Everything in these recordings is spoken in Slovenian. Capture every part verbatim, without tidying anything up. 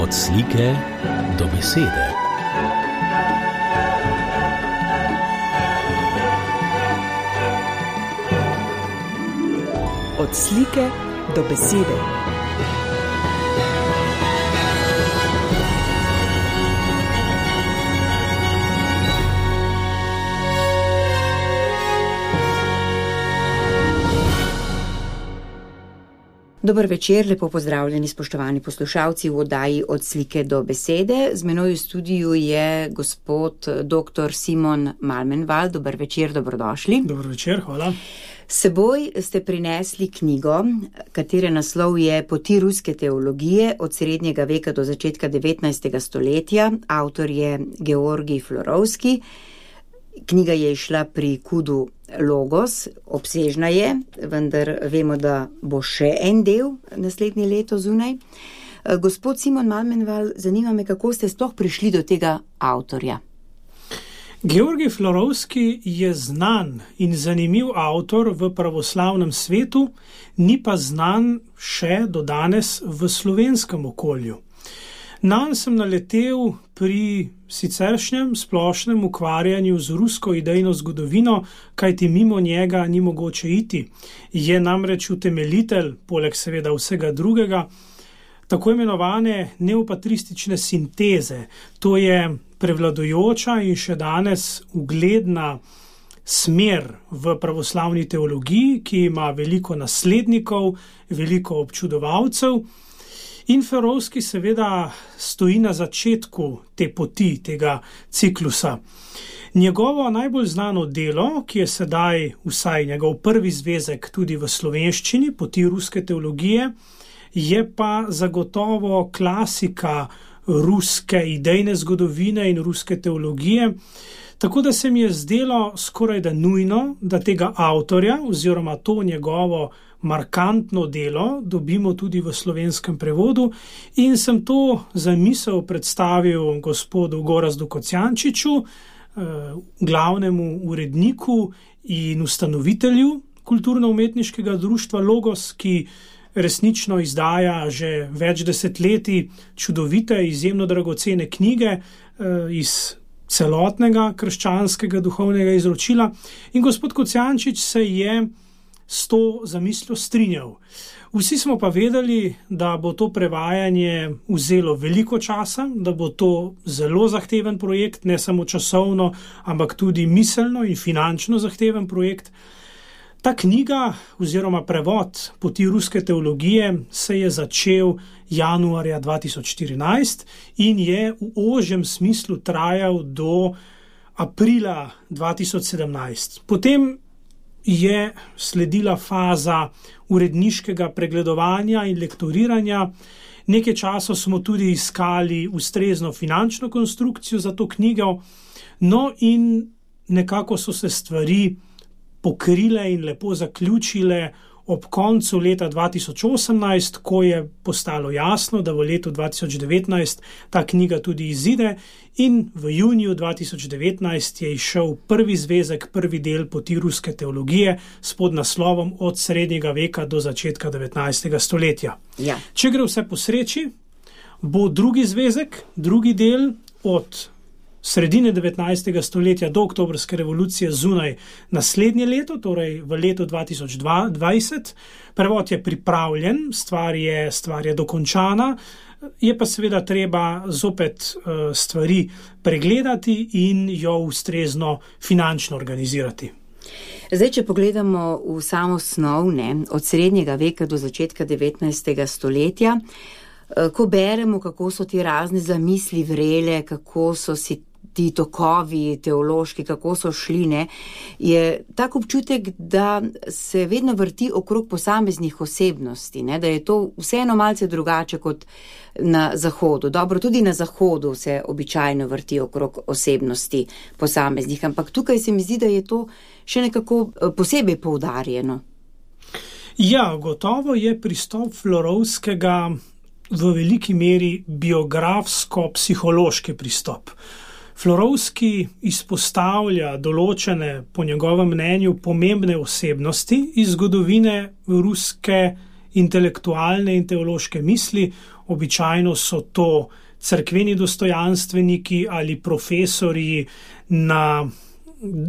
Od slike do besede. Od slike do besede. Dober večer, lepo pozdravljeni spoštovani poslušalci v oddaji Od slike do besede. Z menoj v studiu je gospod doktor Simon Malmenvald. Dober večer, dobrodošli. Dober večer, hvala. Seboj ste prinesli knjigo, katere naslov je Poti ruske teologije od srednjega veka do začetka devetnajstega stoletja. Avtor je Georgij Florovski. Knjiga je išla pri Kudu Logos, obsežna je, vendar vemo, da bo še en del naslednje leto zunaj. Gospod Simon Malmenvald, zanima me, kako ste sploh prišli do tega avtorja. Georgij Florovski je znan in zanimiv avtor v pravoslavnem svetu, ni pa znan še do danes v slovenskem okolju. Nanj sem naletel pri siceršnjem splošnem ukvarjanju z rusko idejno zgodovino, kajti mimo njega ni mogoče iti. Je namreč utemeljitelj, poleg seveda vsega drugega, tako imenovane neopatristične sinteze. To je prevladujoča in še danes ugledna smer v pravoslavni teologiji, ki ima veliko naslednikov, veliko občudovalcev. In Florovski seveda stoji na začetku te poti, tega ciklusa. Njegovo najbolj znano delo, ki je sedaj vsaj njegov prvi zvezek tudi v slovenščini, Poti ruske teologije, je pa zagotovo klasika ruske idejne zgodovine in ruske teologije, tako da se mi je zdelo skoraj da nujno, da tega avtorja oziroma to njegovo markantno delo dobimo tudi v slovenskem prevodu in sem to zamisel predstavil gospodu Gorazdu Kocijančiču, glavnemu uredniku in ustanovitelju kulturno-umetniškega društva Logos, ki resnično izdaja že več desetletij čudovite, izjemno dragocene knjige iz celotnega krščanskega duhovnega izročila. In gospod Kocijančič se je s to zamisljo strinjal. Vsi smo pa vedeli, da bo to prevajanje vzelo veliko časa, da bo to zelo zahteven projekt, ne samo časovno, ampak tudi miselno in finančno zahteven projekt. Ta knjiga oziroma prevod Poti ruske teologije se je začel januarja dva tisoč štirinajst in je v ožjem smislu trajal do aprila dva tisoč sedemnajst. Potem je sledila faza uredniškega pregledovanja in lektoriranja. Nekaj časa smo tudi iskali ustrezno finančno konstrukcijo za to knjigo, no in nekako so se stvari pokrile in lepo zaključile ob koncu leta dva tisoč osemnajst, ko je postalo jasno, da v letu dva tisoč devetnajst ta knjiga tudi izide in v juniju dva tisoč devetnajst je izšel prvi zvezek, prvi del Poti ruske teologije s podnaslovom Od srednjega veka do začetka devetnajstega stoletja. Ja. Če gre vse po sreči, bo drugi zvezek, drugi del od sredine devetnajstega stoletja do oktobrske revolucije zunaj naslednje leto, torej v letu dva tisoč dvajset. Prevod je pripravljen, stvar je, stvar je dokončana, je pa seveda treba zopet uh, stvari pregledati in jo ustrezno finančno organizirati. Zdaj, če pogledamo v samo snov, ne, od srednjega veka do začetka devetnajstega stoletja, ko beremo, kako so ti razne zamisli vrele, kako so si ti tokovi teološki, kako so šli, ne, je tak občutek, da se vedno vrti okrog posameznih osebnosti, ne, da je to vseeno malce drugače kot na Zahodu. Dobro, tudi na Zahodu se običajno vrti okrog osebnosti posameznih, ampak tukaj se mi zdi, da je to še nekako posebej poudarjeno. Ja, gotovo je pristop Florovskega v veliki meri biografsko-psihološki pristop. Florovski izpostavlja določene, po njegovem mnenju, pomembne osebnosti iz zgodovine ruske intelektualne in teološke misli, Običajno so to cerkveni dostojanstveniki ali profesorji na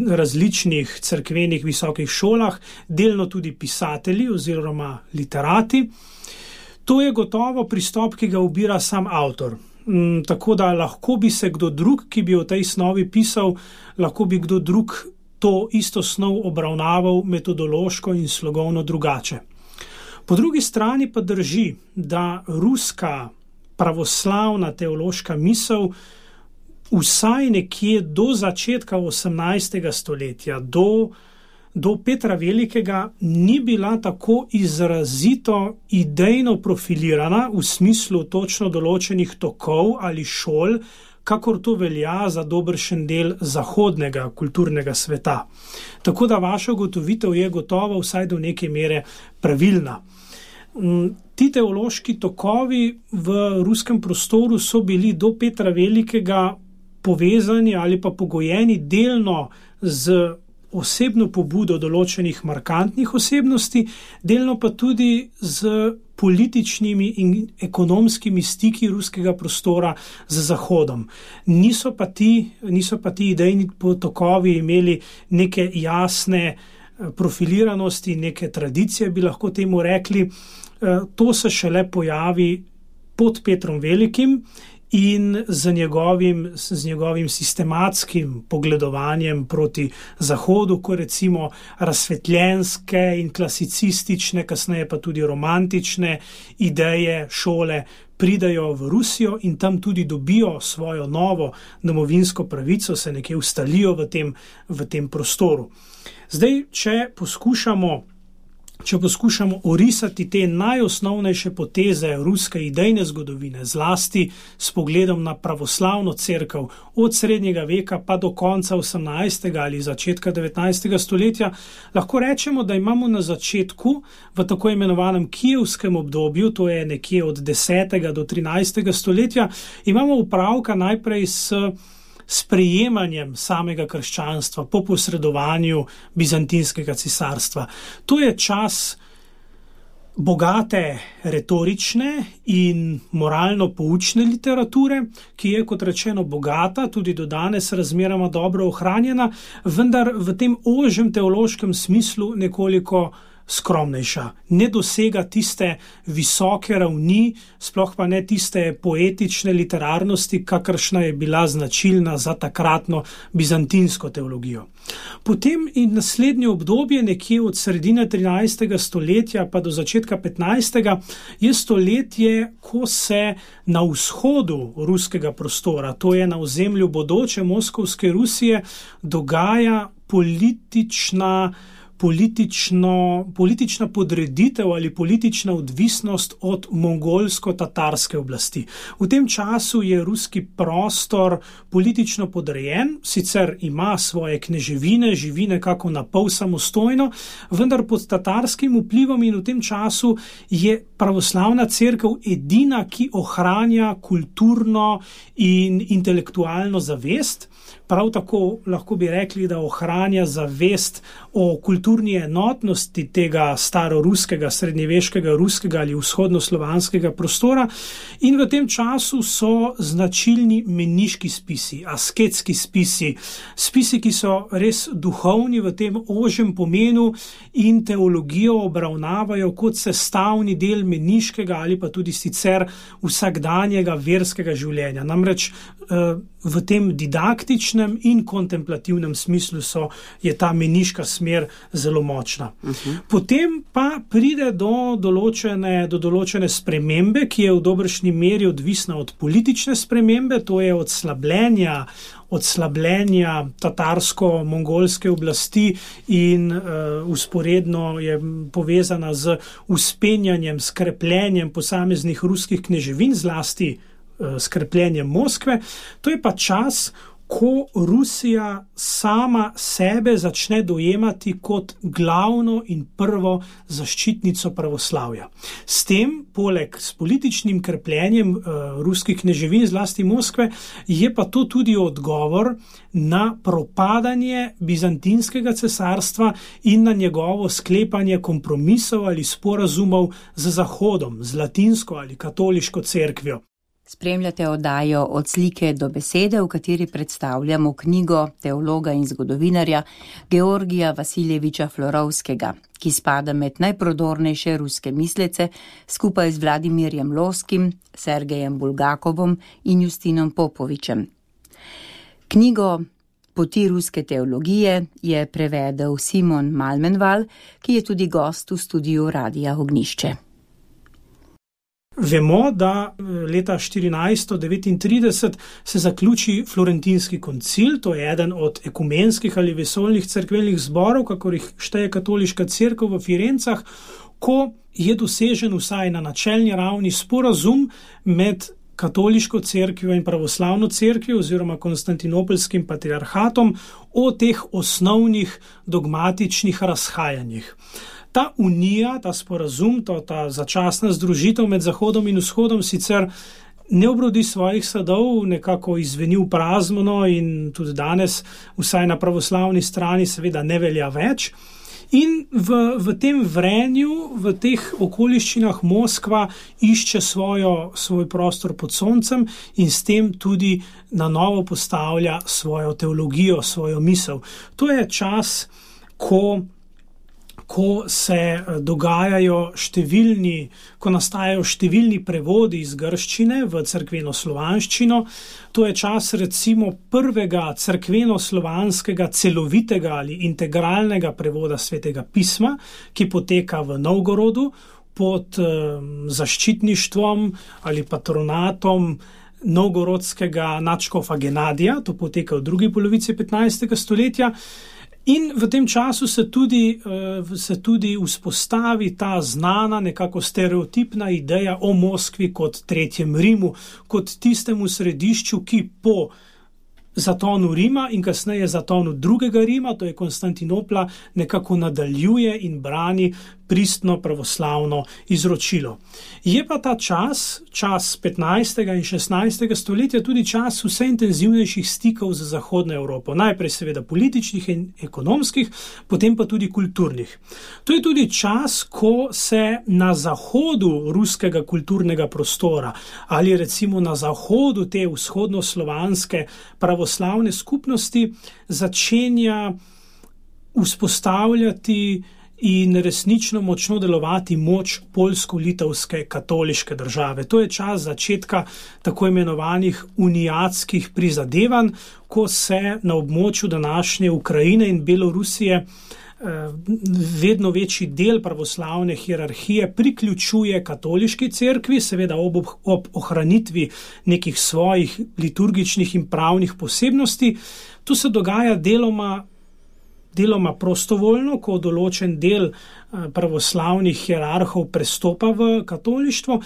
različnih cerkvenih visokih šolah, delno tudi pisatelji oziroma literati. To je gotovo pristop, ki ga ubira sam avtor. Tako da lahko bi se kdo drug, ki bi o tej snovi pisal, lahko bi kdo drug to isto snov obravnaval metodološko in slogovno drugače. Po drugi strani pa drži, da ruska pravoslavna teološka misel vsaj nekje do začetka osemnajstega stoletja, do, do Petra Velikega, ni bila tako izrazito idejno profilirana v smislu točno določenih tokov ali šol, kakor to velja za dobršen del zahodnega kulturnega sveta. Tako da vaša ugotovitev je gotovo vsaj do neke mere pravilna. Ti teološki tokovi v ruskem prostoru so bili do Petra Velikega povezani ali pa pogojeni delno z osebno pobudo določenih markantnih osebnosti, delno pa tudi z političnimi in ekonomskimi stiki ruskega prostora z Zahodom. Niso pa ti, niso pa ti idejni tokovi imeli neke jasne profiliranosti, neke tradicije, bi lahko temu rekli. To se šele pojavi pod Petrom Velikim in z njegovim, z njegovim sistematskim pogledovanjem proti Zahodu, ko recimo razsvetljenske in klasicistične, kasneje pa tudi romantične ideje šole pridajo v Rusijo in tam tudi dobijo svojo novo domovinsko pravico, se nekje ustalijo v tem, v tem prostoru. Zdaj, če poskušamo Če poskušamo orisati te najosnovnejše poteze ruske idejne zgodovine, zlasti s pogledom na pravoslavno cerkev od srednjega veka pa do konca osemnajstega ali začetka devetnajstega stoletja, lahko rečemo, da imamo na začetku v tako imenovanem kijevskem obdobju, to je nekje od desetega do trinajstega stoletja, imamo upravka najprej s sprejemanjem samega krščanstva po posredovanju bizantinskega cesarstva. To je čas bogate retorične in moralno poučne literature, ki je, kot rečeno, bogata, tudi do danes razmeroma dobro ohranjena, vendar v tem ožjem teološkem smislu nekoliko skromnejša. Ne dosega tiste visoke ravni, sploh pa ne tiste poetične literarnosti, kakršna je bila značilna za takratno bizantinsko teologijo. Potem in naslednje obdobje, nekje od sredine trinajstega stoletja pa do začetka petnajstega, je stoletje, ko se na vzhodu ruskega prostora, to je na ozemlju bodoče moskovske Rusije, dogaja politična Politično, politična podreditev ali politična odvisnost od mongolsko-tatarske oblasti. V tem času je ruski prostor politično podrejen, sicer ima svoje kneževine, živi nekako napol samostojno, vendar pod tatarskim vplivom in v tem času je pravoslavna cerkev edina, ki ohranja kulturno in intelektualno zavest. Prav tako lahko bi rekli, da ohranja zavest o kulturni enotnosti tega staroruskega, srednjeveškega, ruskega ali vzhodnoslovanskega prostora in v tem času so značilni meniški spisi, asketski spisi, spisi, ki so res duhovni v tem ožjem pomenu in teologijo obravnavajo kot sestavni del meniškega ali pa tudi sicer vsakdanjega verskega življenja. Namreč v tem didaktičnem in kontemplativnem smislu so, je ta meniška smer zelo močna. Uh-huh. Potem pa pride do določene, do določene spremembe, ki je v dobršni meri odvisna od politične spremembe, to je od slabljenja, od slabljenja tatarsko-mongolske oblasti in uh, usporedno je povezana z vzpenjanjem, skrepljenjem posameznih ruskih kneževin, zlasti skrepljenjem Moskve. To je pa čas, ko Rusija sama sebe začne dojemati kot glavno in prvo zaščitnico pravoslavja. S tem, poleg s političnim krepljenjem uh, ruskih kneževin, zlasti Moskve, je pa to tudi odgovor na propadanje bizantinskega cesarstva in na njegovo sklepanje kompromisov ali sporazumov z Zahodom, z latinsko ali katoliško cerkvijo. Spremljate oddajo Od slike do besede, v kateri predstavljamo knjigo teologa in zgodovinarja Georgija Vasiljeviča Florovskega, ki spada med najprodornejše ruske mislece skupaj z Vladimirjem Loskim, Sergejem Bulgakovom in Justinom Popovičem. Knjigo Poti ruske teologije je prevedel Simon Malmenval, ki je tudi gost v studiu Radia Ognjišče. Vemo, da leta štirinajststo devetintrideset se zaključi Florentinski koncil, to je eden od ekumenskih ali vesoljnih cerkvenih zborov, kakor jih šteje katoliška cerkev v Firencah, ko je dosežen vsaj na načelni ravni sporazum med katoliško cerkvijo in pravoslavno cerkvijo oziroma konstantinopelskim patriarhatom o teh osnovnih dogmatičnih razhajanjih. Ta unija, ta sporazum, to, ta začasna združitev med Zahodom in Vzhodom sicer ne obrodi svojih sadov, nekako izveni v prazno in tudi danes, vsaj na pravoslavni strani, seveda ne velja več. In v, v tem vrenju, v teh okoliščinah Moskva išče svojo, svoj prostor pod soncem in s tem tudi na novo postavlja svojo teologijo, svojo misel. To je čas, ko ko se dogajajo številni, ko nastajajo številni prevodi iz grščine v cerkveno-slovanščino. To je čas recimo prvega cerkveno-slovanskega celovitega ali integralnega prevoda Svetega pisma, ki poteka v Novgorodu pod um, zaščitništvom ali patronatom novgorodskega nadškofa Genadija. To poteka v drugi polovici petnajstega stoletja. In v tem času se tudi, se tudi vzpostavi ta znana, nekako stereotipna ideja o Moskvi kot tretjem Rimu, kot tistemu središču, ki po zatonu Rima in kasneje zatonu drugega Rima, to je Konstantinopla, nekako nadaljuje in brani pristno pravoslavno izročilo. Je pa ta čas, čas petnajstega in šestnajstega stoletja, tudi čas vse intenzivnejših stikov z Zahodno Evropo. Najprej seveda političnih in ekonomskih, potem pa tudi kulturnih. To je tudi čas, ko se na zahodu ruskega kulturnega prostora ali recimo na zahodu te vzhodnoslovanske pravoslavne skupnosti začenja vzpostavljati in resnično močno delovati moč poljsko-litovske katoliške države. To je čas začetka tako imenovanih unijatskih prizadevanj, ko se na območju današnje Ukrajine in Belorusije vedno večji del pravoslavne hierarhije priključuje katoliški cerkvi, seveda ob, ob ohranitvi nekih svojih liturgičnih in pravnih posebnosti. To se dogaja deloma deloma prostovoljno, ko določen del pravoslavnih hierarhov prestopa v katolištvo.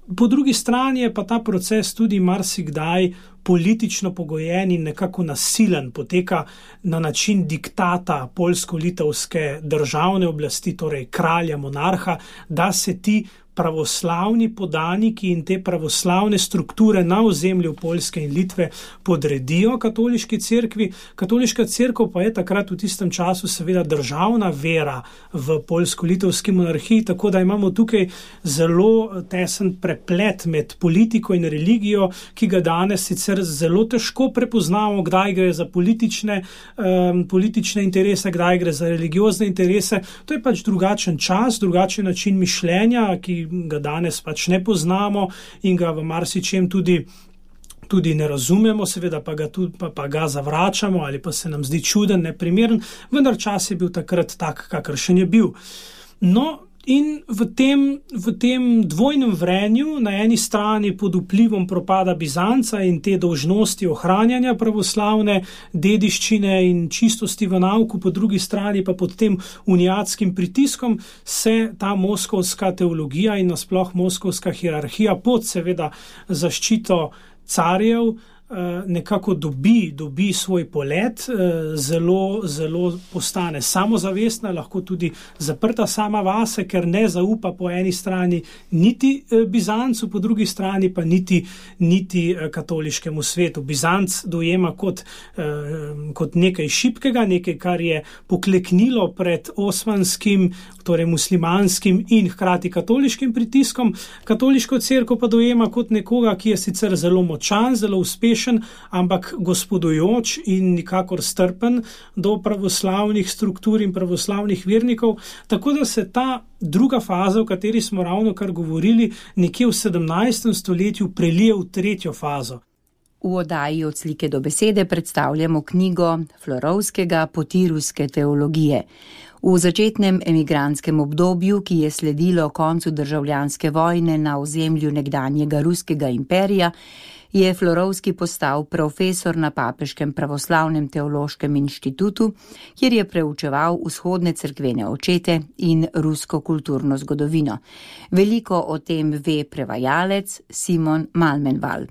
Po drugi strani je pa ta proces tudi marsikdaj politično pogojen in nekako nasilen, poteka na način diktata poljsko-litovske državne oblasti, torej kralja, monarha, da se ti pravoslavni podaniki in te pravoslavne strukture na ozemlju Poljske in Litve podredijo katoliški cerkvi. Katoliška cerkev pa je takrat v tistem času seveda državna vera v poljsko-litovski monarhiji, tako da imamo tukaj zelo tesen preplet med politiko in religijo, ki ga danes sicer zelo težko prepoznamo, kdaj gre za politične, um, politične interese, kdaj gre za religiozne interese. To je pač drugačen čas, drugačen način mišljenja, ki ga danes pač ne poznamo in ga v marsičem tudi, tudi ne razumemo, seveda pa ga, tudi, pa, pa ga zavračamo ali pa se nam zdi čuden, neprimeren, vendar čas je bil takrat tak, kakršen je bil. No, in v tem, v tem dvojnem vrenju, na eni strani pod vplivom propada Bizanca in te dolžnosti ohranjanja pravoslavne dediščine in čistosti v nauku, po drugi strani pa pod tem unijatskim pritiskom, se ta moskovska teologija in nasploh moskovska hierarhija pod seveda zaščito carjev nekako dobi, dobi svoj polet, zelo, zelo postane samozavestna, lahko tudi zaprta sama vase, ker ne zaupa po eni strani niti Bizancu, po drugi strani pa niti, niti katoliškemu svetu. Bizanc dojema kot, kot nekaj šibkega, nekaj, kar je pokleknilo pred osmanskim, torej muslimanskim in hkrati katoliškim pritiskom. Katoliško cerkev pa dojema kot nekoga, ki je sicer zelo močan, zelo uspešen, ampak gospodujoč in nikakor strpen do pravoslavnih struktur in pravoslavnih vernikov. Tako da se ta druga faza, o kateri smo ravno kar govorili, nekje v sedemnajstem stoletju prelije v tretjo fazo. V oddaji Od slike do besede predstavljamo knjigo Florovskega Poti ruske teologije. V začetnem emigrantskem obdobju, ki je sledilo koncu državljanske vojne na ozemlju nekdanjega ruskega imperija, je Florovski postal profesor na Papeškem pravoslavnem teološkem inštitutu, kjer je preučeval vzhodne cerkvene očete in rusko kulturno zgodovino. Veliko o tem ve prevajalec Simon Malmenval.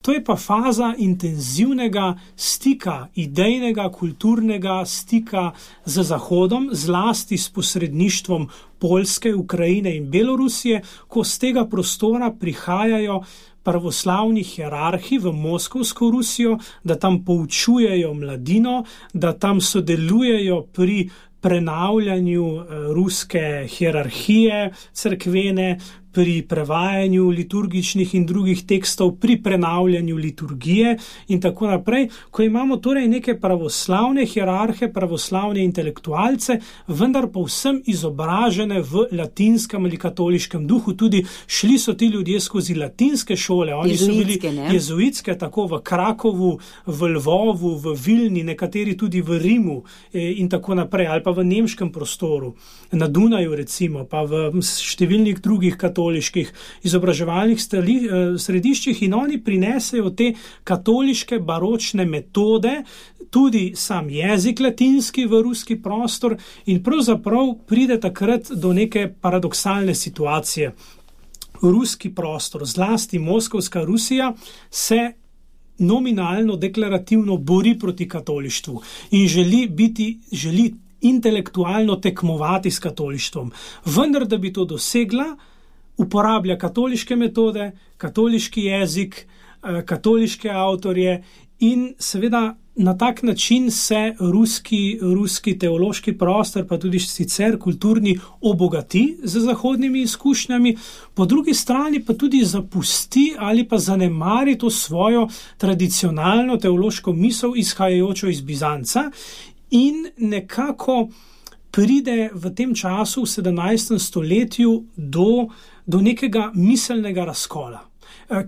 To je pa faza intenzivnega stika, idejnega, kulturnega stika z Zahodom, zlasti s posredništvom Poljske, Ukrajine in Belorusije, ko z tega prostora prihajajo pravoslavni hierarhi v Moskovsko Rusijo, da tam poučujejo mladino, da tam sodelujejo pri prenavljanju ruske hierarhije cerkvene, pri prevajanju liturgičnih in drugih tekstov, pri prenavljanju liturgije in tako naprej, ko imamo torej neke pravoslavne hierarhe, pravoslavne intelektualce, vendar povsem izobražene v latinskem ali katoliškem duhu. Tudi šli so ti ljudje skozi latinske šole, oni so bili jezuitske, tako v Krakovu, v Lvovu, v Vilni, nekateri tudi v Rimu in tako naprej, ali pa v nemškem prostoru, na Dunaju recimo, pa v številnih drugih katoliških izobraževalnih središčih, in oni prinesejo te katoliške baročne metode, tudi sam jezik latinski v ruski prostor, in pravzaprav pride takrat do neke paradoksalne situacije. Ruski prostor, zlasti Moskovska Rusija, se nominalno, deklarativno bori proti katolištvu in želi biti, želi intelektualno tekmovati s katolištvom. Vendar, da bi to dosegla, uporablja katoliške metode, katoliški jezik, katoliške avtorje in seveda na tak način se ruski, ruski teološki prostor, pa tudi sicer kulturni, obogati z zahodnimi izkušnjami, po drugi strani pa tudi zapusti ali pa zanemari to svojo tradicionalno teološko misel, izhajajočo iz Bizanca, in nekako pride v tem času, v sedemnajstem stoletju, do, do nekega miselnega razkola,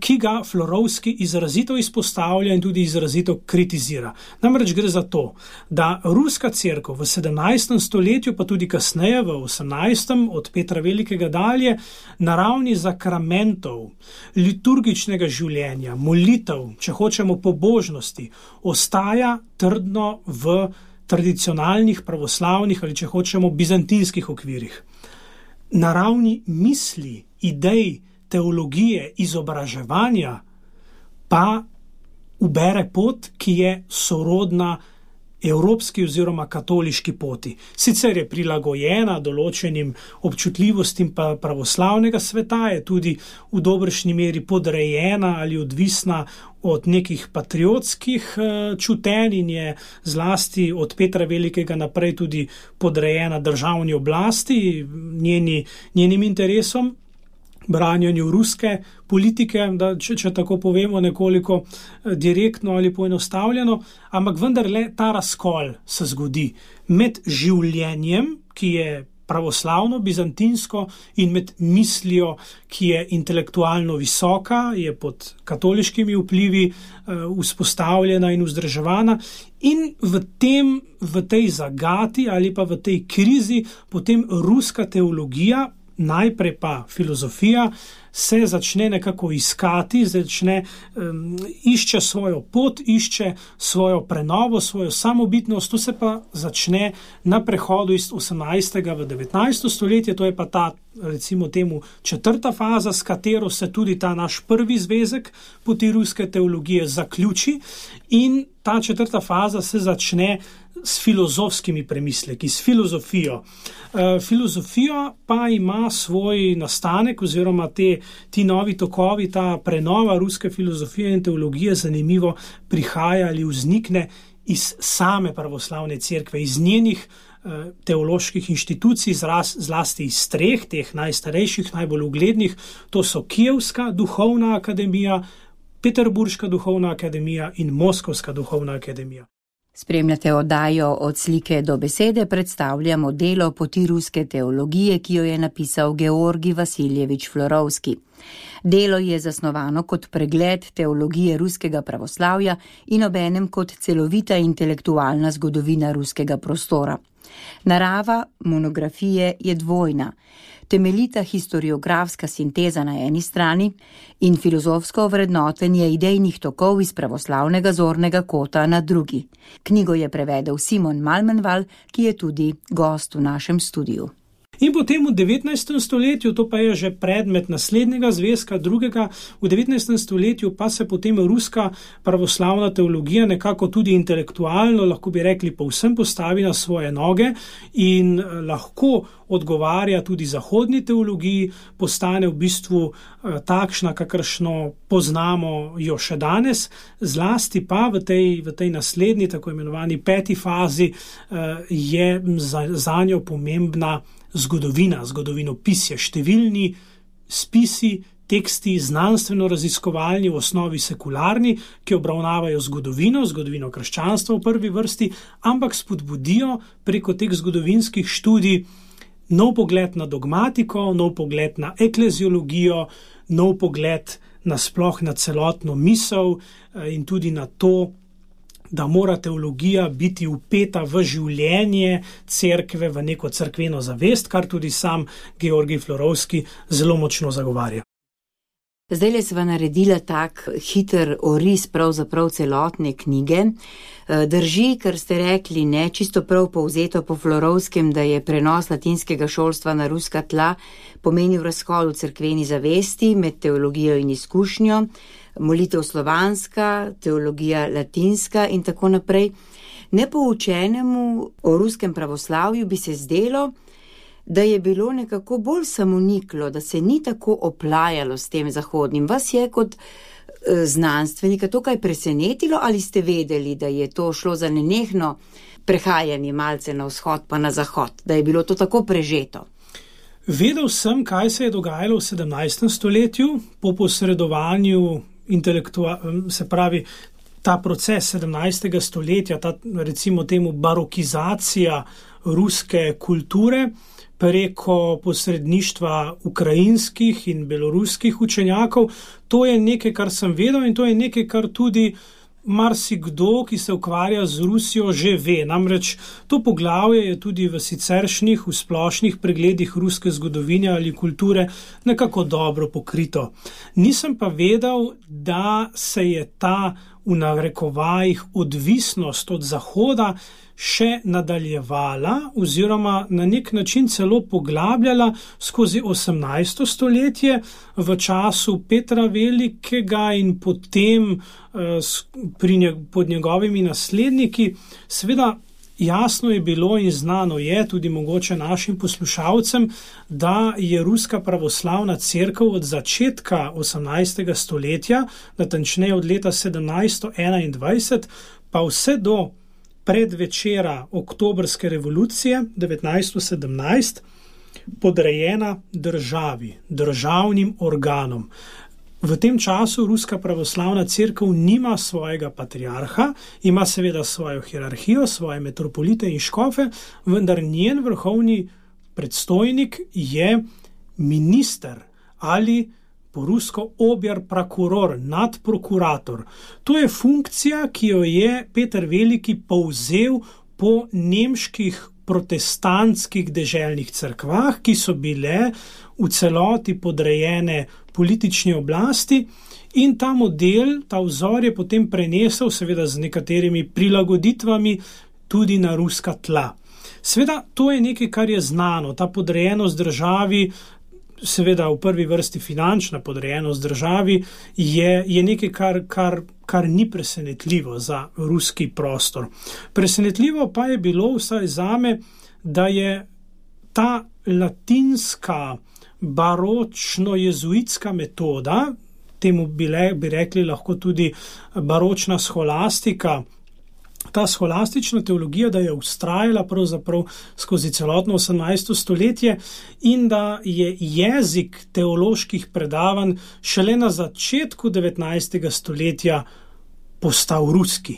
ki ga Florovski izrazito izpostavlja in tudi izrazito kritizira. Namreč gre za to, da ruska cerkev v sedemnajstem stoletju, pa tudi kasneje v osemnajstem, od Petra Velikega dalje, na ravni zakramentov, liturgičnega življenja, molitev, če hočemo pobožnosti, ostaja trdno v tradicionalnih pravoslavnih ali, če hočemo, bizantinskih okvirih. Na ravni misli, idej, teologije, izobraževanja pa ubere pot, ki je sorodna evropski oziroma katoliški poti. Sicer je prilagojena določenim občutljivostim pa pravoslavnega sveta, je tudi v dobršni meri podrejena ali odvisna od nekih patriotskih čutenj in je zlasti od Petra Velikega naprej tudi podrejena državni oblasti, njeni, njenim interesom, branjanju ruske politike, da, če, če tako povemo nekoliko direktno ali poenostavljeno, ampak vendarle ta razkol se zgodi med življenjem, ki je pravoslavno, bizantinsko, in med mislijo, ki je intelektualno visoka, je pod katoliškimi vplivi uh, vzpostavljena in vzdrževana, in v tem, v tej zagati ali pa v tej krizi potem ruska teologija, najprej pa filozofija se začne nekako iskati, začne, um, išče svojo pot, išče svojo prenovo, svojo samobitnost. To se pa začne na prehodu iz osemnajstega v devetnajsto stoletje, to je pa ta, recimo temu, četrta faza, s katero se tudi ta naš prvi zvezek poti ruske teologije zaključi, in ta četrta faza se začne s filozofskimi premisleki, s filozofijo. E, filozofija pa ima svoj nastanek oziroma te, ti novi tokovi, ta prenova ruske filozofije in teologije zanimivo prihaja ali vznikne iz same pravoslavne cerkve, iz njenih e, teoloških inštitucij, zraz, zlasti iz treh, teh najstarejših, najbolj uglednih, to so Kijevska duhovna akademija, Peterburška duhovna akademija in Moskovska duhovna akademija. Spremljate oddajo Od slike do besede, predstavljamo delo Poti ruske teologije, ki jo je napisal Georgij Vasiljevič Florovski. Delo je zasnovano kot pregled teologije ruskega pravoslavja in obenem kot celovita intelektualna zgodovina ruskega prostora. Narava monografije je dvojna. Temeljita historiografska sinteza na eni strani in filozofsko vrednotenje idejnih tokov iz pravoslavnega zornega kota na drugi. Knjigo je prevedel Simon Malmenval, ki je tudi gost v našem studiu. In potem v devetnajstem stoletju, to pa je že predmet naslednjega zvezka, drugega, v devetnajstem stoletju pa se potem ruska pravoslavna teologija nekako tudi intelektualno, lahko bi rekli, povsem postavi na svoje noge in lahko odgovarja tudi zahodni teologiji, postane v bistvu takšna, kakršno poznamo jo še danes, zlasti pa v tej, v tej naslednji, tako imenovani peti fazi, je za, za njo pomembna zgodovina, zgodovinopisje, številni spisi, teksti, znanstveno-raziskovalni, v osnovi sekularni, ki obravnavajo zgodovino, zgodovino krščanstva v prvi vrsti, ampak spodbudijo preko teh zgodovinskih študij nov pogled na dogmatiko, nov pogled na ekleziologijo, nov pogled nasploh na celotno misel in tudi na to, da mora teologija biti vpeta v življenje cerkve, v neko cerkveno zavest, kar tudi sam Georgij Florovski zelo močno zagovarja. Zdaj le sva naredila tak hiter oris pravzaprav celotne knjige. Drži, kar ste rekli, ne, čisto prav povzeto po Florovskem, da je prenos latinskega šolstva na ruska tla pomenil razkol v cerkveni zavesti med teologijo in izkušnjo, molitev slovanska, teologija latinska in tako naprej. Nepoučenemu o ruskem pravoslavju bi se zdelo, da je bilo nekako bolj samoniklo, da se ni tako oplajalo s tem zahodnim. Vas je kot e, znanstvenika to kaj presenetilo ali ste vedeli, da je to šlo za nenehno prehajanje malce na vzhod pa na zahod, da je bilo to tako prežeto? Vedel sem, kaj se je dogajalo v sedemnajstem stoletju po posredovanju intelektualnega, se pravi, ta proces sedemnajstega stoletja, ta recimo temu barokizacija ruske kulture preko posredništva ukrajinskih in beloruskih učenjakov, to je nekaj, kar sem vedel in to je nekaj, kar tudi marsikdo, ki se ukvarja z Rusijo, že ve. Namreč to poglavje je tudi v siceršnjih, v splošnih pregledih ruske zgodovine ali kulture nekako dobro pokrito. Nisem pa vedel, da se je ta v narekovajih odvisnost od Zahoda še nadaljevala oziroma na nek način celo poglabljala skozi osemnajsto stoletje v času Petra Velikega in potem pri njeg, pod njegovimi nasledniki. Seveda jasno je bilo in znano je tudi mogoče našim poslušalcem, da je ruska pravoslavna cerkev od začetka osemnajstega stoletja, natančneje od leta sedemnajststo enaindvajset, pa vse do predvečera oktobrske revolucije devetnajststo sedemnajst podrejena državi, državnim organom. V tem času ruska pravoslavna cerkev nima svojega patriarha, ima seveda svojo hierarhijo, svoje metropolite in škofe, vendar njen vrhovni predstojnik je minister ali po rusko objar prokuror, nadprokurator. To je funkcija, ki jo je Peter Veliki povzel po nemških protestantskih deželnih cerkvah, ki so bile v celoti podrejene politični oblasti, in ta model, ta vzor je potem prenesel, seveda z nekaterimi prilagoditvami, tudi na ruska tla. Seveda, to je nekaj, kar je znano, ta podrejenost državi, seveda v prvi vrsti finančna podrejenost državi, je, je nekaj, kar, kar, kar ni presenetljivo za ruski prostor. Presenetljivo pa je bilo vsaj zame, da je ta latinska baročno-jezuitska metoda, temu bi, le, bi rekli lahko tudi baročna scholastika, ta scholastična teologija, da je vztrajala pravzaprav skozi celotno osemnajsto stoletje in da je jezik teoloških predavanj šele na začetku devetnajstega stoletja postal ruski.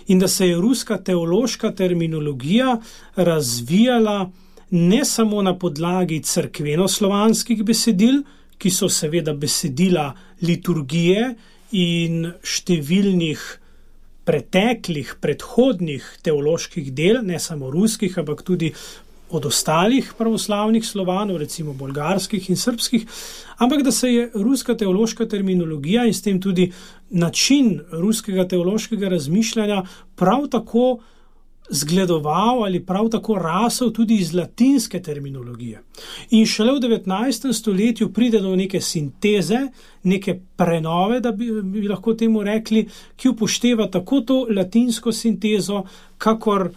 In da se je ruska teološka terminologija razvijala ne samo na podlagi cerkvenoslovanskih besedil, ki so seveda besedila liturgije in številnih preteklih, predhodnih teoloških del, ne samo ruskih, ampak tudi od ostalih pravoslavnih Slovanov, recimo bolgarskih in srbskih, ampak da se je ruska teološka terminologija in s tem tudi način ruskega teološkega razmišljanja prav tako zgledoval ali prav tako rasel tudi iz latinske terminologije. In šele v devetnajstem stoletju pride do neke sinteze, neke prenove, da bi, bi lahko temu rekli, ki upošteva tako to latinsko sintezo, kakor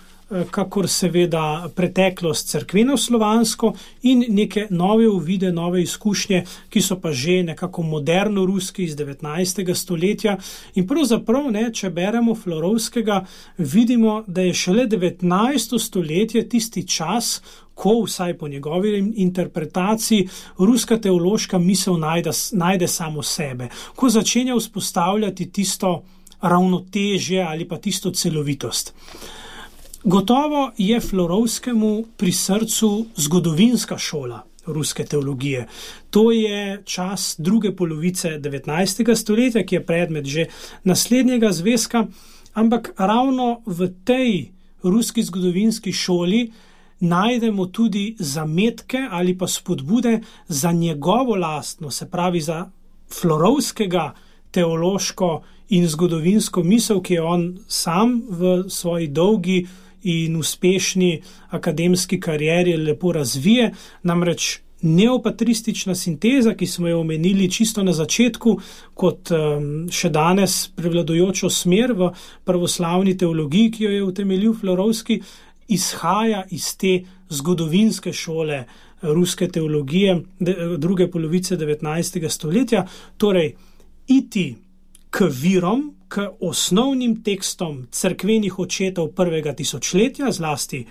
kakor seveda preteklost cerkveno-slovansko in neke nove uvide, nove izkušnje, ki so pa že nekako moderno ruski iz devetnajstega stoletja. In pravzaprav, ne, če beremo Florovskega, vidimo, da je šele devetnajsto stoletje tisti čas, ko vsaj po njegovi interpretaciji ruska teološka misel najde, najde samo sebe, ko začenja vzpostavljati tisto ravnotežje ali pa tisto celovitost. Gotovo je Florovskemu pri srcu zgodovinska šola ruske teologije. To je čas druge polovice devetnajstega stoletja, ki je predmet že naslednjega zvezka, ampak ravno v tej ruski zgodovinski šoli najdemo tudi zametke ali pa spodbude za njegovo lastno, se pravi za Florovskega teološko in zgodovinsko misel, ki je on sam v svoji dolgi in uspešni akademski karieri lepo razvije, namreč neopatristična sinteza, ki smo jo omenili čisto na začetku, kot um, še danes prevladujočo smer v pravoslavni teologiji, ki jo je utemeljil Florovski, izhaja iz te zgodovinske šole ruske teologije de, druge polovice devetnajstega stoletja, torej iti k virom, k osnovnim tekstom cerkvenih očetov prvega tisočletja, zlasti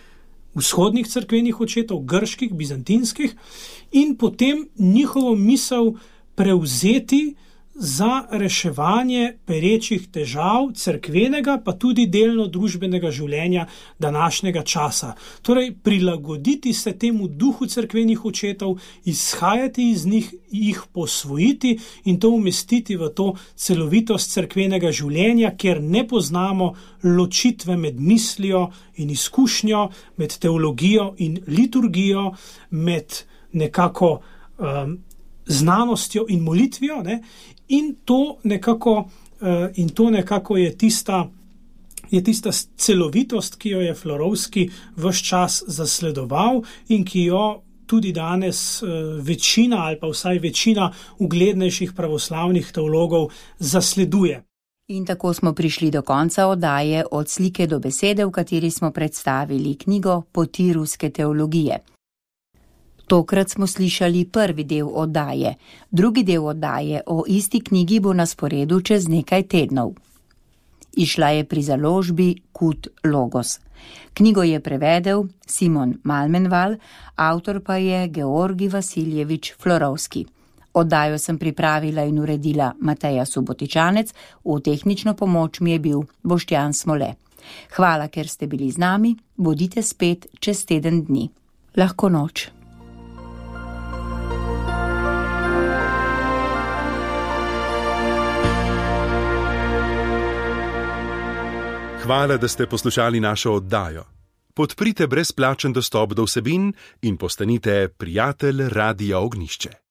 vzhodnih cerkvenih očetov, grških, bizantinskih, in potem njihovo misel prevzeti za reševanje perečih težav cerkvenega, pa tudi delno družbenega življenja današnjega časa. Torej, prilagoditi se temu duhu cerkvenih očetov, izhajati iz njih, jih posvojiti in to umestiti v to celovitost cerkvenega življenja, kjer ne poznamo ločitve med mislijo in izkušnjo, med teologijo in liturgijo, med nekako um, znanostjo in molitvijo, ne? In to nekako, uh, in to nekako je tista, je tista celovitost, ki jo je Florovski ves čas zasledoval in ki jo tudi danes uh, večina ali pa vsaj večina uglednejših pravoslavnih teologov zasleduje. In tako smo prišli do konca oddaje Od slike do besede, v kateri smo predstavili knjigo Poti ruske teologije. Tokrat smo slišali prvi del oddaje. Drugi del oddaje o isti knjigi bo na sporedu čez nekaj tednov. Izšla je pri založbi Kut Logos. Knjigo je prevedel Simon Malmenval, avtor pa je Georgij Vasiljevič Florovski. Oddajo sem pripravila in uredila Mateja Subotičanec, v tehnično pomoč mi je bil Boštjan Smole. Hvala, ker ste bili z nami, bodite spet čez teden dni. Lahko noč. Hvala, da ste poslušali našo oddajo. podprite brezplačen dostop do vsebin in postanite prijatelj Radia Ognjišče.